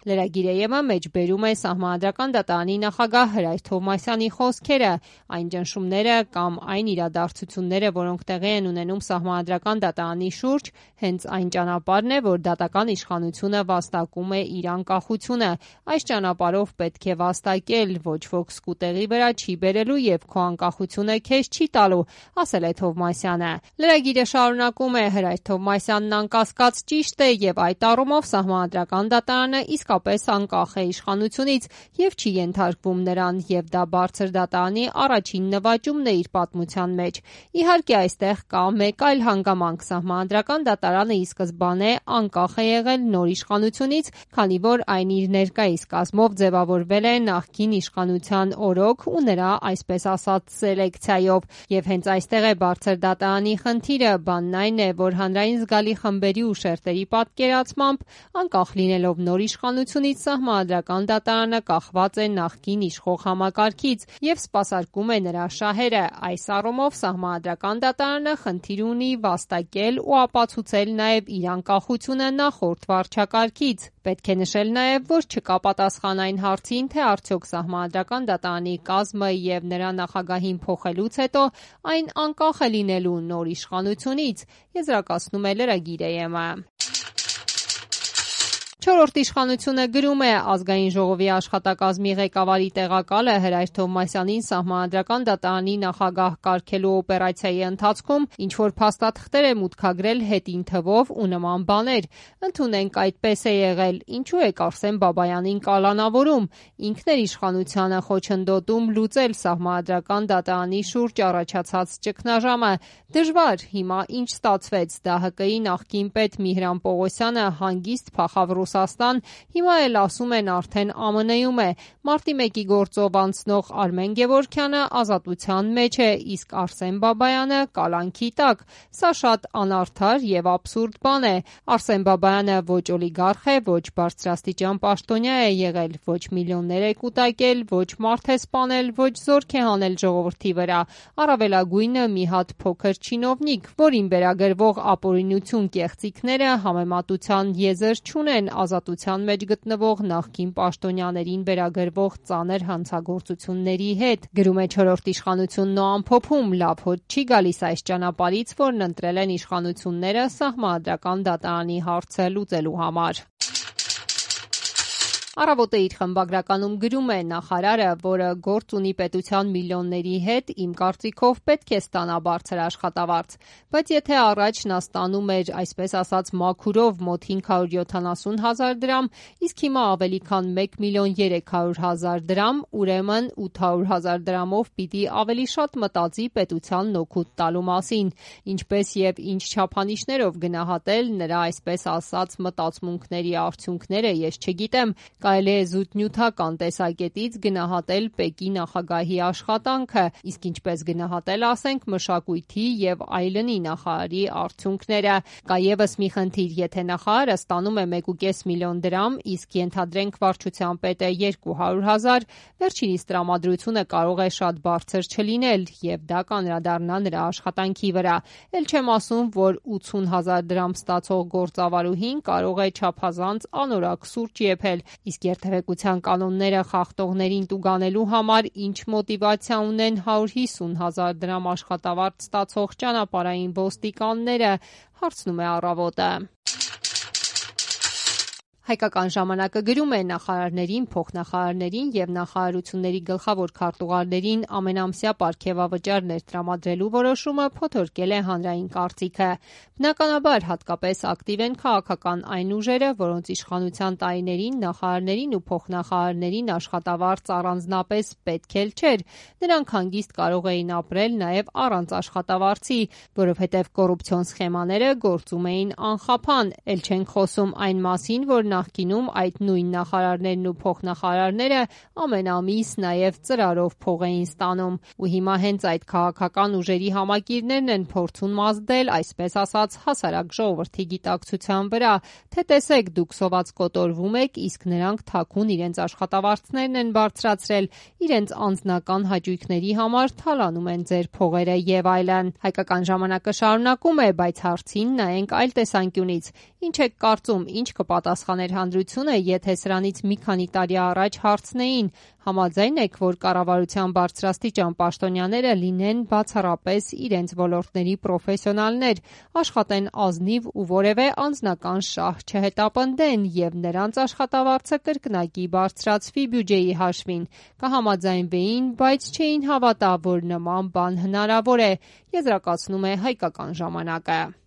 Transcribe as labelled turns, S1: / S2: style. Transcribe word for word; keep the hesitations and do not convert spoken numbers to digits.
S1: Լրագիրը մեջբերում է Սահմանադրական դատարանի նախագահ Հրայր Թովմասյանի խոսքերը, այն ճնշումները կամ այն իրադարձությունները, որոնք տեղի են ունենում Սահմանադրական դատարանի շուրջ, հենց այն ճանապարհն է, որ դատական իշխանությունը վաստակում է իր անկախությունը։ Այս ճանապարհով պետք է վաստակել, ոչ ոք սկուտեղի վրա չի բերելու եւ քո անկախությունը քեզ չի տալու, ասել է Թովմասյանը։ Լրագիրը շարունակում է. Հրայր Թովմասյանն անկասկած ճիշտ է եւ այդ առումով Սահմանադրական դատարանը իսկապես անկախ է իշխանությունից եւ չի ենթարկվում նրան, եւ դա բարձր դատարանի առաջին նվաճումն է իր պատմության մեջ։ Իհարկե, այստեղ կա մեկ այլ հանգամանք. Սահմանադրական դատարանը ի սկզբանե անկախ է եղել նոր իշխանությունից, քանի որ այն իր ներկայիս կազմով ձևավորվել է նախկին իշխանության օրոք ու նրա, այսպես ասած, սելեկցիայով, եւ հենց այստեղ է բարձր դատարանի խնդիրը։ Բանն այն է, որ հանրային զգալի խմբերի ու շերտերի պատկերացմամբ, անկախ լինելով նոր իշխանությունից, Սահմանադրական դատարանը կախված է նախկին իշխող համակարգից եւ սպասարկում է նրա շահերը։ Այս առումով Սահմանադրական դատարանը խնդիր ունի վաստակել ու ապացուցել նաեւ իր անկախությունը նախորդ վարչակարգից։ Պետք է նշել նաեւ, որ չկա պատասխան այն հարցին, թե արդյոք Սահմանադրական դատարանի կազմը եւ նրա նախագահին փոխելուց հետո այն անկախ է լինելու նոր իշխանությունից, եզրակացնում է լրագիրը։ Չորրորդ իշխանությունը գրում է. Ազգային ժողովի աշխատակազմի ղեկավարի տեղակալը Հրայր Թովմասյանին Սահմանադրական դատարանի նախագահ կարգելու օպերացիայի ընթացքում ինչ-որ փաստաթղթեր է մուտքագրել հետին թվով ու նման բաներ։ Ընդունենք այդպես է եղել, ինչու է Արսեն Բաբայանին կալանավորում, ինքն էր իշխանությանը խոչընդոտում լուծել Սահմանադրական դատարանի շուրջ առաջացած ճգնաժամը։ Դժվար, հիմա ինչ ստացվեց, ԴՀԿ-ի նախկին պետ Միհրան Պողոսյանը հանգիստ փախավ Ռուսաստան, հիմա էլ ասում են արդեն ԱՄՆ-ում է։ Մարտի մեկի գործով անցնող Արմեն Գևորգյանը ազատության մեջ է, իսկ Արսեն Բաբայանը կալանքի տակ։ Սա շատ անարդար եւ աբսուրդ բան է։ Արսեն Բաբայանը ոչ օլիգարխ է, ոչ բարձրաստիճան պաշտոնյա է եղել, ոչ միլիոններ է կուտակել, ոչ մարդ է սպանել, ոչ զորք է հանել ժողովրդի վրա։ Առավելագույնը մի հատ փոքր չինովնիկ, որին վերագրվող ապօրինություն կեղծիքները համեմատության եզր չունեն ազատության մեջ գտնվող նախկին պաշտոնյաներին վերագրվող ծանր հանցագործությունների հետ։ Գրում է չորրորդ իշխանությունն ու ամփոփում. լավ հոտ չի գալիս այս ճանապարհից, որն ընտրել են իշխանությունները Սահմանադրական դատարանի հարցը լուծելու համար։ Առավոտը իր խմբագրականում գրում է. նախարարը, որը գործ ունի պետության միլիոնների հետ, իմ կարծիքով պետք է ստանա բարձր աշխատավարձ, բայց եթե առաջ նա ստանում էր, այսպես ասած, մաքուրով մոտ հինգ հարյուր յոթանասուն հազար դրամ, իսկ հիմա ավելի քան մեկ միլիոն երեք հարյուր հազար դրամ, ուրեմն ութ հարյուր հազար դրամով պիտի ավելի շատ մտածի պետությանն օգուտ տալու մասին, ինչպես եւ ինչ չափանիշներով գնահատել նրա, այսպես ասած, մտածմունքների արդյունքները, ես չգիտեմ։ Կարելի է զուտնյութական տեսակետից գնահատել ՊԵԿ-ի նախագահի աշխատանքը, իսկ ինչպես գնահատել, ասենք, մշակույթի եւ այլնի նախարարի արդյունքները։ Կա եւս մի խնդիր, եթե նախարարը ստանում է մեկ ու կես միլիոն դրամ, իսկ ենթադրենք վարչության պետը երկու հարյուր հազար, վերջինիս տրամադրությունը կարող է շատ բարձր չլինել եւ դա կանդրադառնա նրա աշխատանքի վրա։ Էլ չեմ ասում, որ ութսուն հազար դրամ ստացող գործավարուհին կարող է չափազանց անորակ սուրճ եփել, իսկ երթևեկության կանոնները խախտողներին տուգանելու համար ինչ մոտիվացիա ունեն հարյուր հիսուն հազար դրամ աշխատավարձ ստացող ճանապարհային ոստիկանները, հարցնում է Առավոտը։ Հայկական ժամանակը գրում է. նախարարներին, փոխնախարարներին եւ նախարարությունների գլխավոր քարտուղարներին ամենամսյա պարգևավճար ներտրամադրելու որոշումը փոթորկել է հանրային կարծիքը։ Բնականաբար, հատկապես ակտիվ են քաղաքական այն ուժերը, որոնց իշխանության տարիներին նախարարներին ու փոխնախարարներին աշխատավարձ առանձնապես պետք էլ չէր։ Նրանք հանգիստ կարող էին ապրել նաեւ առանց աշխատավարձի, որովհետեւ կոռուպցիոն սխեմաները գործում էին անխափան։ Էլ չենք խոսում այն մասին, որ նախկինում այդ նույն նախարարներն ու փոխնախարարները ամեն ամիս նաև ծրարով փող էին ստանում։ Ու հիմա հենց այդ քաղաքական ուժերի համակիրներն են փորձում ազդել, այսպես ասած, հասարակ ժողովրդի գիտակցության վրա, թե տեսեք, դուք սոված կոտորվում եք, իսկ նրանք թաքուն իրենց աշխատավարձներն են բարձրացրել, իրենց անձնական հաճույքների համար թալանում են ձեր փողերը եւ այլն։ Հայկական ժամանակը շարունակում է, բայց հարցին նայենք այլ տեսանկյունից։ Ինչ եք կարծում, ինչ կպատասխանեք կլիներ հանրությունը, եթե սրանից մի քանի տարի առաջ հարցնեին՝ համաձայն եք, որ կառավարության բարձրաստիճան պաշտոնյաները լինեն բացառապես իրենց ոլորտների պրոֆեսիոնալներ, աշխատեն ազնիվ ու որևէ անձնական շահ չհետապնդեն և նրանց աշխատավարձը կրկնակի բարձրացվի բյուջեի հաշվին, կհամաձայնվեին, բայց չէին հավատա, որ նման բան հնարավոր է, եզրակացնում է «Հայկական ժամանակ»-ը։